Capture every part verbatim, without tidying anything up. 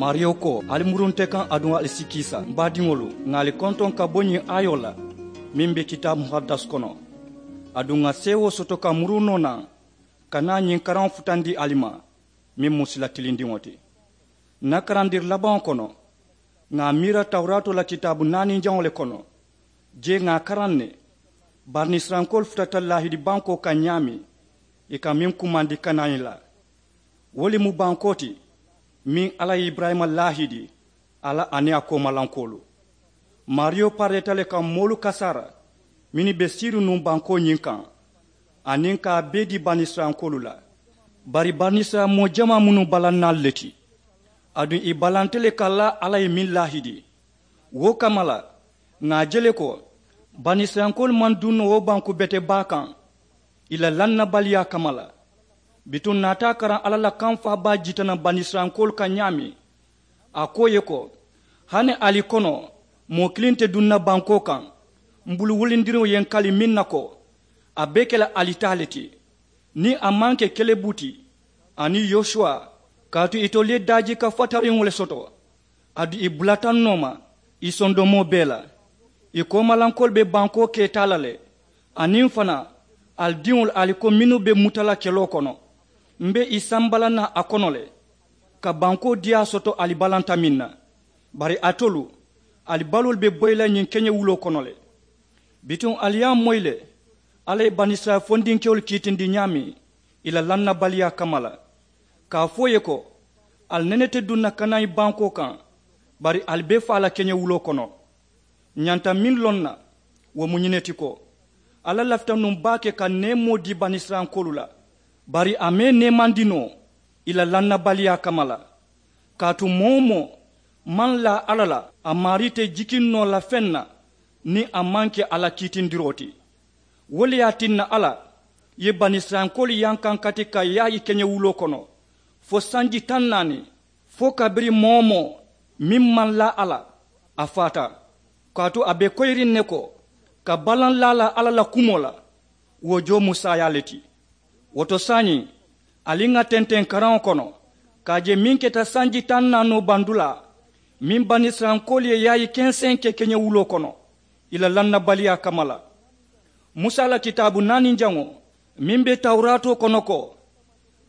Maariyo ko, ali muru nte kaŋ aduŋ ali si kiisa m baadiŋolu, ŋà ali kontoŋ ka bo ñiŋ aayoo la meŋ be kitaabu muhaddas kono. Aduŋ ŋà seewoo soto ka muru noo naŋ ka naa ñiŋ karaŋo futandi ali ma, meŋ mu sila tilindiŋo ti. Ǹ na karandiri labaŋo kono, ŋà a miira tawuraatoo la kitaabu naaninjaŋo le kono. Jee ŋà a karaŋ ne, banisirayilankoolu futata laahidi bankoo kaŋ ñaameŋ ì ka meŋ kumandi kanani la. Wo le mu bankoo ti meŋ alla ye iburayima laahidi a la aniŋ a koomalankoolu. Maariyo pareeta le ka moolu kasaara mennu be siiriŋ nuŋ bankoo ñiŋ kaŋ, aniŋ ka a bee dii banisirayilankoolu la. Bari banisirayila moo jamaa mu nuŋ balannaalu le ti. Aduŋ ì balanta le ka laa alla ye meŋ laahidi. Wo kamma la, ŋà a je le ko banisirayilankoolu maŋ duŋ noo wo banku bete baa kaŋ ì la lannabaliyaa kamma la. Bituŋ ǹ naata a karaŋ alla la kaŋ faabaa jitanaŋ banisirayilankoolu kaŋ ñaameŋ. A ko ì ye ko, hani ali kono moo kiliŋ te duŋ na bankoo kaŋ m bulu wulindiriŋo ye ǹ kali meŋ na ko, a be ke la ali taa le ti. Niŋ a maŋ ke kelebu ti aniŋ yosuwa, kaatu itolu ye daajiika fatariŋo le soto. Aduŋ ì bulata ǹ nooma ì sondomoo bee la. Ì koomalankoolu be bankoo keetaa la le. Aniŋ fanaa, ali diŋolu ali ko mennu be muta la keloo kono, m be ì samba la naŋ a kono le ka bankoo diyaa soto ali balanta meŋ na. Bari alitolu, ali baloolu be boyi la ñiŋ keñewuloo kono le. Bituŋ ali ye a moyi le alla ye banisirayila fondinkewolu kiitindi ñaameŋ ì la lannabaliyaa kamma la, ka a fo ì ye ko, ali nene te duŋ na kanaani bankoo kaŋ, bari ali be faa la keñewuloo kono. Ǹ ñanta meŋ loŋ na, wo mu ñiŋ ne ti ko, alla lafita nuŋ baake ka neemoo dii banisirayilankoolu la, bari a maŋ ì neemandi noo ì la lannabaliyaa kamma la. Kaatu moo-wo-moo maŋ laa alla la, a maarii te jikiŋ noo la feŋ na niŋ a maŋ ke a la kiitindiroo ti. Wo le ye a tinna alla ye banisirayilankoolu yankankati ka yaayi keñewuloo kono fo sanji taŋ naani, fo kabiriŋ moo-wo-moo meŋ maŋ laa a la, a faata. Kaatu a be koyiriŋ ne ko, ka balaŋ laa la alla la kumoo la, wo joo mu saayaa le ti. Wo to saayiŋ, ali ŋà tenteŋ karaŋo kono ka a je meŋ keta sanji taŋ naanoo bandulaa, meŋ banisirayilankoolu ye yaayi kenseŋ ke keñewuloo kono ì la lannabaliyaa kamma la. Musa la kitaabu naaninjaŋo meŋ be tawuraatoo kono ko,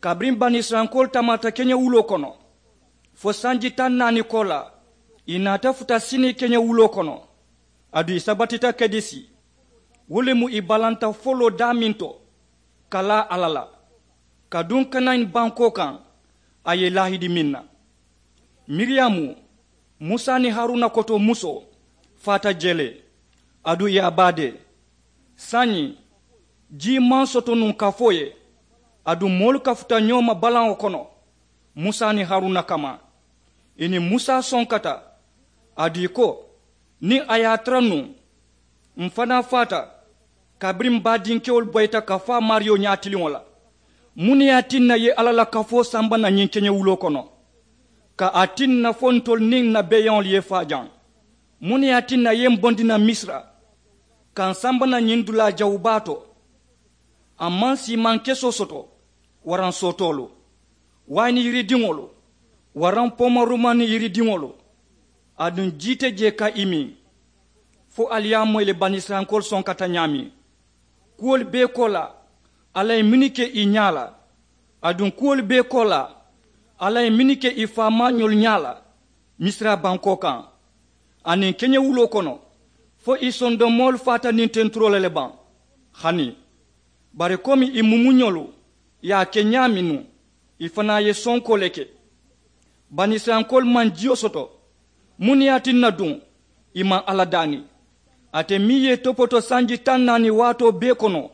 kabiriŋ banisirayilankoolu tamaata keñewuloo kono fo sanji taŋ naani koolaa, ì naata futa sini keñewuloo kono. Aduŋ ì sabatita kedesi, wo le mu ì balanta foloo daameŋ to ka laa alla la, ka duŋ kanaani bankoo kaŋ a ye ì laahidi meŋ na. Miriyamu, musa niŋ haruna koto musoo, faata jee le. Aduŋ ì ye a baadee. Saayiŋ, jii maŋ soto nuŋ kafoo ye. Aduŋ moolu kafuta ñoo ma balaŋo kono musa niŋ haruna kamma. Ì niŋ musa sonkata. Aduŋ ì ko, niŋ a ye a tara nuŋ, m fanaa faata. Kabiriŋ m baadinkewolu boyita ka faa maariyo ñaatiliŋo la, muŋ ne ye a tinna ì ye alla la kafoo samba naŋ ñiŋ keñewuloo kono? Ka a tinna fo ntolu niŋ n na beeyaŋolu ye faa jaŋ? Muŋ ne ye a tinna ì ye m bondi naŋ misira ka m samba naŋ ñiŋ dulaa jawubaa to? A maŋ siimaŋ kesoo soto, waraŋ sootoolu, wayini yiridiŋolu, waraŋ poomarumani yiridiŋolu. Aduŋ jii te jee ka ì miŋ. Fo ali ye a moyi le banisirayilankoolu sonkata ñaameŋ. Kuwolu bee koolaa, alla ye mennu ke ì ñaa la. Aduŋ kuwolu bee koolaa, alla ye mennu ke ì faamaañolu ñaa la misira bankoo kaŋ aniŋ keñewuloo kono, fo ì sondomoolu faata niŋ tenturoo la le baŋ? Hani. Bari komi ì mumuñolu ye a ke ñaameŋ nuŋ, ì fanaa ye sonkoo le ke. Banisirayilankoolu maŋ jiyo soto. Muŋ ne ye a tinna duŋ ì maŋ alla daani? Ate meŋ ye ì topoto sanji taŋ naani waatoo bee kono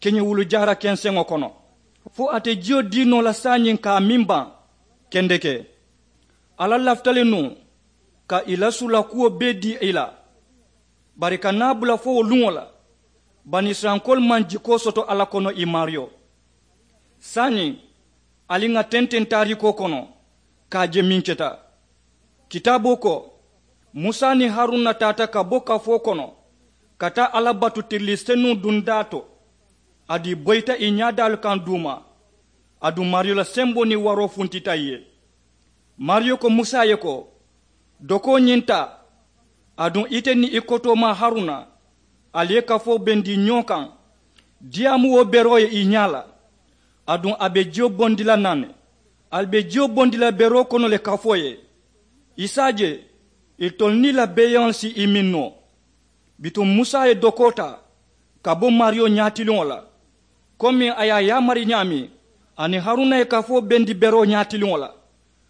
keñewulu jaara kenseŋo kono, fo ate jiyo dii noo la saayiŋ ka a miŋ baŋ? Kendeke, alla lafita le nuŋ ka ì la suula kuwo bee dii ì la. Bari ka naa bula fo wo luŋo la, banisirayilankoolu maŋ jikoo soto alla kono ì maariyo. Saayiŋ, ali ŋà tenteŋ taariikoo kono ka a je meŋ keta. Kitaaboo ko, musa niŋ haruna taata ka bo kafoo kono ka taa alla batu tirilii senuŋ dundaa to. Aduŋ ì boyita ì ñaadaalu kaŋ duuma. Aduŋ maariyo la semboo niŋ waroo funtita ì ye. Maariyo ko musa ye ko, dokoo ñiŋ taa, aduŋ ite niŋ i kotoomaa haruna, ali ye kafoo bendi ñoo kaŋ. Diyaamu wo beroo ye i ñaa la, aduŋ a be jiyo bondi la naŋ ne. Ali be jiyo bondi la beroo kono le kafoo ye. I si a je itolu niŋ i la beeyaŋolu si i miŋ noo. Bituŋ musa ye dokoo taa ka bo maariyo ñaatiliŋo la, komiŋ a ye a yaamari ñaameŋ, aniŋ haruna ye kafoo bendi beroo ñaatiliŋo la.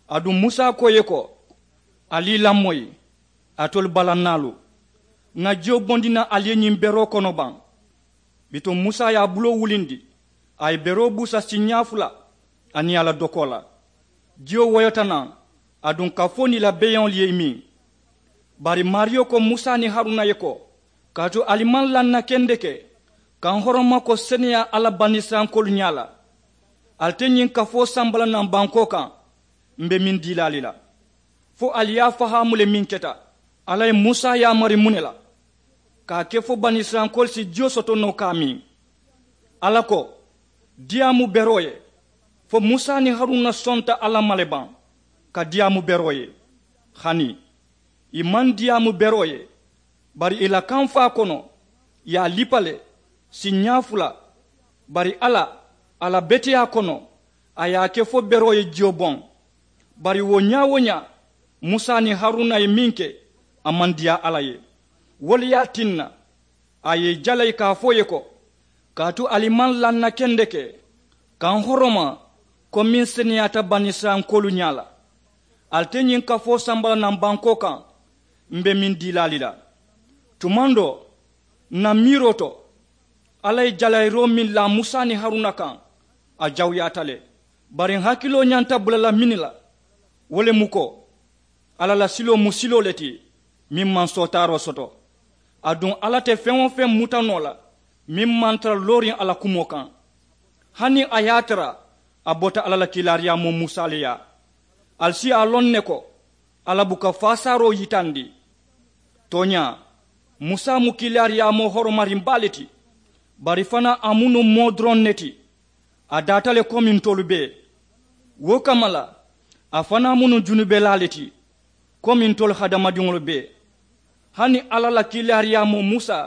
Aduŋ musa ko ì ye ko, ali i lamoyi, alitolu balannaalu, ŋà jiyo bondi naŋ ali ye ñiŋ beroo kono baŋ? Bituŋ musa ye a buloo wulindi, a ye beroo buusa siiñaa fula aniŋ a la dokoo la. Jiyo woyota naŋ, aduŋ kafoo niŋ i la beeyaŋolu ye i miŋ. Bari maariyo ko musa niŋ haruna ye ko, kaatu ali maŋ laŋ na kendeke ka n horoma ko seneyaa alla banisirayilankoolu ñaa la. Ali te ñiŋ kafoo samba la naŋ bankoo kaŋ, m be meŋ dii la ali la. Fo ali ye a fahaamu le meŋ keta. Alla ye musa yaamari muŋ ne la? Ka a ke fo banisirayilankoolu si jiyo soto noo ka a miŋ. Alla ko, diyaamu beroo ye. Fo musa niŋ haruna sonta alla ma le baŋ ka diyaamu beroo ye? Hani ì maŋ diyaamu beroo ye. Bari ì la kamfaa kono ì ye a lipa le, siiñaa fula. Bari alla, a la beteyaa kono, a ye a ke fo beroo ye jiyo boŋ. Bari wo ñaa-wo-ñaa, musa niŋ haruna ye meŋ ke, a maŋ diyaa alla ye. Wo le ye a tinna a ye i jalayi ka a fo ì ye ko, kaatu ali maŋ laŋ na kendeke ka n horoma ko meŋ seneyaata banisirayilankoolu ñaa la. Ali te ñiŋ kafoo samba la naŋ bankoo kaŋ, m be meŋ dii la ali la. Tumandoo, n na miiroo to, alla ye jalayiroo meŋ laa musa niŋ haruna kaŋ, a jawuyaata le. Bari n hakiloo ñanta bula la meŋ ne la, wo le mu ko, alla la siloo mu siloo le ti meŋ maŋ sootaaroo soto. Aduŋ alla te feŋ-wo-feŋ muta noo la meŋ maŋ tara looriŋ a la kumoo kaŋ. Hani a ye a tara a bota alla la kiilaariyaamoo musa le yaa. Ali si a loŋ ne ko, alla buka faasaaroo yitandi. Tooñaa, musa mu kiilaariyaamoo horomariŋ baa le ti. Bari fanaa a mu nuŋ moo doroŋ ne ti. A daata le komi ntolu bee. Wo kamma la, a fanaa mu nuŋ junubelaa le ti komi ntolu hadamadiŋolu bee. Hani alla la kiilaariyaamoo musa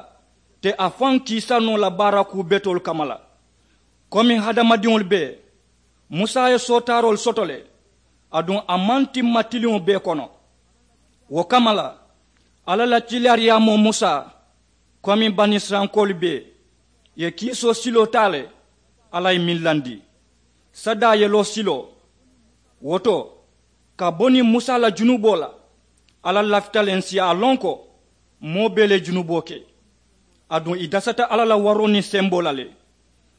te a faŋ kiisa noo la baara kuu betoolu kamma la. Komi hadamadiŋolu bee, musa ye sootaaroolu soto le. Aduŋ a maŋ timma tiliŋo bee kono. Wo kamma la, alla la kiilaariyaamoo musa, komi banisirayilankoolu bee, ì ye kiisoo siloo taa le. Alla ye meŋ landi, sadaa yeloo siloo. Wo to, ka bo niŋ musa la junuboo la, alla lafita le n si a loŋ ko moo bee le ye junuboo ke. Aduŋ ì dasata alla la waroo niŋ semboo la le.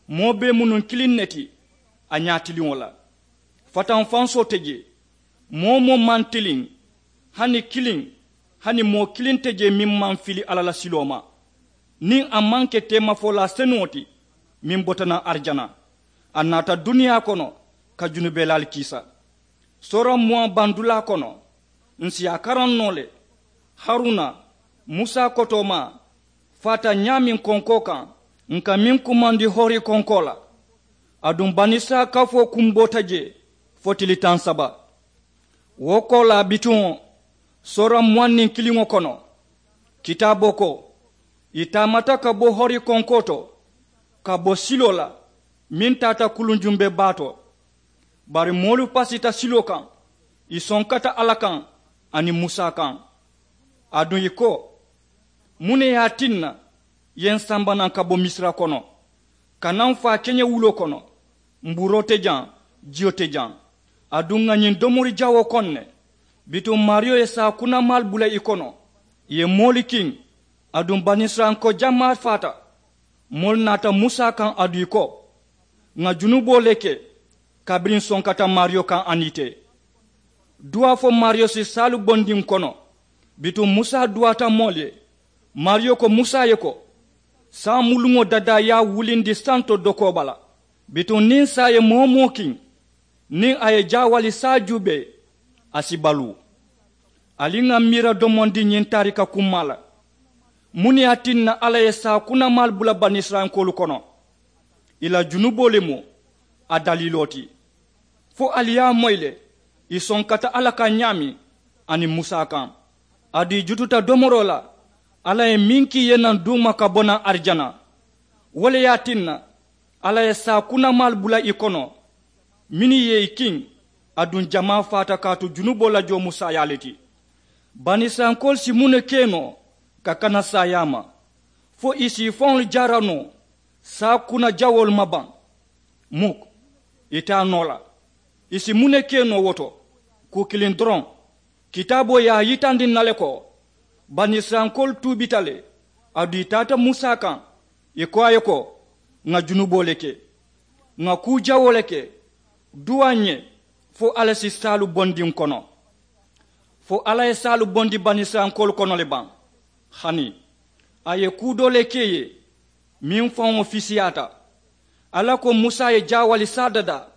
Moo bee mu nuŋ kiliŋ ne ti a ñaatiliŋo la. Fatanfansoo te jee. Moo-wo-moo maŋ tiliŋ, hani kiliŋ. Hani moo kiliŋ te jee meŋ maŋ fili alla la siloo ma, niŋ a maŋ ke teemafolaa senuŋo ti meŋ bota naŋ arijana. A naata duniyaa kono ka junubelaalu kiisa. Soora muwaŋ bandulaa kono, ǹ si a karaŋ noo le. Haruna, musa kotoomaa, faata ñaameŋ konkoo kaŋ, ǹ ka meŋ kumandi hori konkoo la. Aduŋ banisirayila kafoo kumboota jee fo tili taŋ saba. Wo koolaa bituŋo, soora muwaŋ niŋ kiliŋo kono, kitaaboo ko, ì taamata ka bo hori konkoo to, ka bo siloo la meŋ taata kuluŋ jumbe baa to. Bari moolu pasita siloo kaŋ, ì sonkata alla kaŋ aniŋ musa kaŋ. Aduŋ ì ko, muŋ ne ye a tinna ì ye ǹ samba naŋ ka bo misira kono, ka naa m faa keñewuloo kono? Mbuuroo te jaŋ, jiyo te jaŋ. Aduŋ ŋà ñiŋ domori jawoo koŋ ne. Bituŋ maariyo ye saakunamaalu bula i kono, ì ye moolu kiŋ. Aduŋ banisirayilanko jamaa faata. Moolu naata musa kaŋ aduŋ ì ko, ŋà junuboo le ke kabiriŋ ǹ sonkata maariyo kaŋ aniŋ ite. Duwaa fo maariyo si saalu bondi ǹ kono. Bituŋ musa duwaata moolu ye. Maariyo ko musa ye ko, saamuluŋo dadaa ye a wulindi santo dokoo bala. Bituŋ niŋ saa ye moo-wo-moo kiŋ, niŋ a ye jaawali saa juubee, a si baluu. Ali ŋà miira domondi ñiŋ taarika kummaa la. Muŋ ne ye a tinna alla ye saakunamaalu bula banisirayilankoolu kono? Ì la junuboo le mu a daliiloo ti. Fo ali ye a moyi le, Ì sonkata alla kaŋ ñaameŋ aniŋ musa kaŋ. Aduŋ ì jututa domoroo la alla ye meŋ kii ì ye naŋ duuma ka bo naŋ arijana. Wo le ye a tinna alla ye saakunamaalu bula ì kono mennu ye ì kiŋ. Aduŋ jamaa faata kaatu junuboo la joo mu saayaa le ti. Banisirayilankoolu si muŋ ne ke noo ka kana saayaa ma fo ì si ì faŋolu jaara noo saakunajawoolu ma baŋ? Muk. Ì te a noo la. Ì si muŋ ne ke noo wo to? Kuu kiliŋ doroŋ. Kitaaboo ye a yitandi ǹ na le ko banisirayilankoolu tuubita le. Aduŋ ì taata musa kaŋ ì ko a ye ko, ŋà junuboo le ke, ŋà kuu jawoo le ke. Duwaa ǹ ye fo alla si saalu bondi ǹ kono. Fo alla ye saalu bondi banisirayilankoolu kono le baŋ? Hani a ye kuu doo le ke ì ye meŋ faŋo fisiyaata. Alla ko musa ye jaawali saa dadaa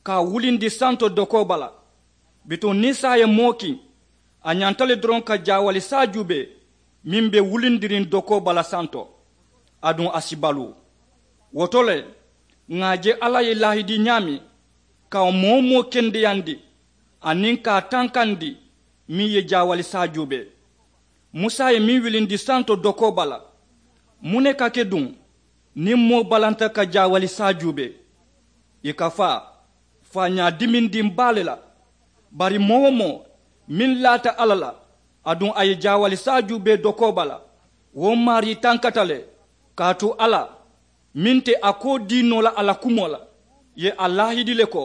ka a wulindi santo dokoo bala. Bituŋ niŋ saa ye moo kiŋ a ñanta le doroŋ ka jaawali saa juubee meŋ be wulindiriŋ dokoo bala santo. Aduŋ a si baluu. Wo to le ŋà a je alla ye laahidi ñaameŋ ka wo moo-wo-moo kendeyandi aniŋ ka a tankandi meŋ ye jaawali saa juubee. Musa ye meŋ wilindi santo dokoo bala. Muŋ ne ka ke duŋ niŋ moo balanta ka jaawali saa juubee? Ì ka faa faañaa dimindiŋ baa le la. Bari moo-wo-moo meŋ laata alla la aduŋ a ye jaawali saa juubee dokoo bala, wo maarii tankata le. Kaatu alla meŋ te a koo dii noo la a la kumoo la ye a laahidi le ko,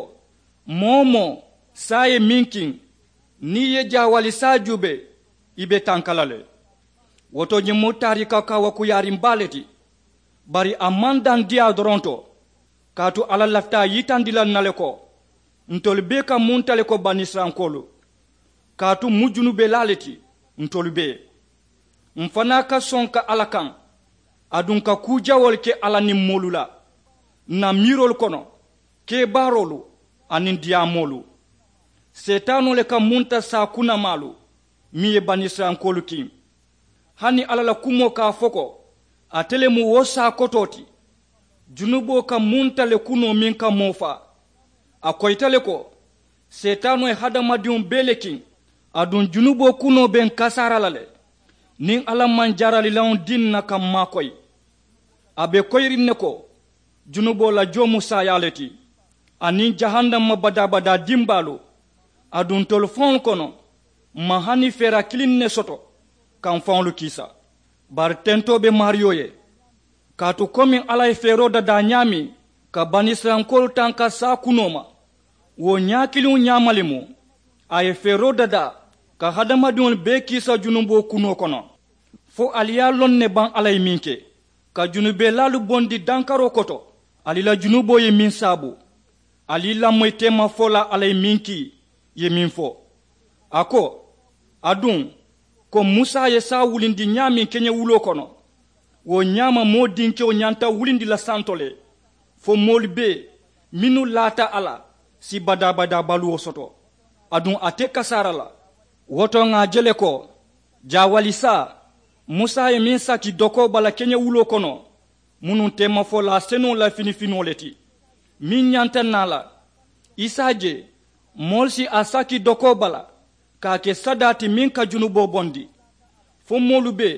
moo-wo-moo saa ye meŋ kiŋ niŋ ì ye jaawali saa juubee ì be tanka la le. Wo to ñiŋ mu taariika kaawakuuyaariŋ baa le ti. Bari a maŋ daŋ diyaa doroŋ to. Kaatu alla lafita a yitandi la ǹ na le ko ntolu bee ka munta le ko banisirayilankoolu. Kaatu ǹ mu junubelaa le ti ntolu bee. M̀ fanaa ka soŋ ka alla kaŋ aduŋ ka kuu jawoolu ke alla niŋ moolu la, ǹ na miiroolu kono, kebaaroolu aniŋ diyaamoolu. Seetaanoo le ka munta saakunamaalu meŋ ye banisirayilankoolu kiŋ. Hani alla la kumoo ka a fo ko ate le mu wo saa kotoo ti. Junuboo ka munta le kunoo meŋ ka moo faa. A koyita le ko seetaanoo ye hadamadiŋo bee le kiŋ. Aduŋ junuboo kunoo be ǹ kasaara la le. Niŋ alla maŋ jaaralilaŋo dii ǹ na ka ǹ maakoyi a be koyiriŋ ne ko junuboo la joo mu saayaa le ti aniŋ jahannama badaa-badaa dimbaalu. Aduŋ ntolu faŋolu kono m̀ maŋ hani feera kiliŋ ne soto ka ǹ faŋolu kiisa. Bari tentoo be maariyo ye. Kaatu komiŋ alla ye feeroo dadaa ñaameŋ ka banisirayilankoolu tanka saa kunoo ma, wo ñaakiliŋo ñaama le mu a ye feeroo dadaa ka hadamadiŋolu bee kiisa junuboo kunoo kono. Fo ali ye a loŋ ne baŋ alla ye meŋ ke ka junubelaalu bondi dankaroo koto? Ali la junuboo ye meŋ saabu? Ali lamoyi teemafolaa alla ye meŋ kii ye meŋ fo? A ko, aduŋ ko musa ye saa wulindi ñaameŋ keñewuloo kono, wo ñaama moo dinkewo ñanta wulindi la santo le. Fo moolu bee mennu laata a la si badaa-badaa baluwo soto. Aduŋ a te kasaara la. Wo to ŋà a je le ko jaawali saa musa ye meŋ saki dokoo bala keñewuloo kono, munuŋ teemafolaa senuŋo la finifinoo le ti meŋ ñanta naa la. I si a je moolu si a saki dokoo bala ka a ke sadaa ti meŋ ka junuboo bondi. Fo moolu be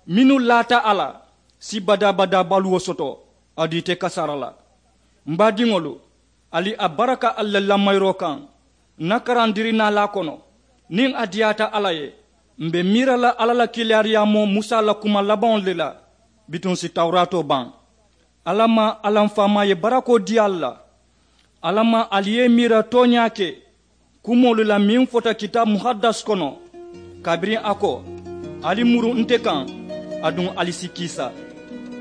mennu laata a la si badaa-badaa baluwo soto. Aduŋ i te kasaara la. M baadiŋolu, ali a baraka ali la lamayiroo kaŋ. Ǹ na karandirinaalaa kono niŋ a diyaata alla ye, m̀ be miira la alla la kiilaariyaamoo musa la kuma labaŋolu le la. Bituŋ ǹ si tawuraatoo baŋ. Alla maŋ alla m faamaa ye barakoo dii ali la. Alla maŋ ali ye i miira tooñaa ke kumoolu la meŋ fota kitaabu muhaddas kono, kabiriŋ a ko, ali muru nte kaŋ aduŋ ali si kiisa.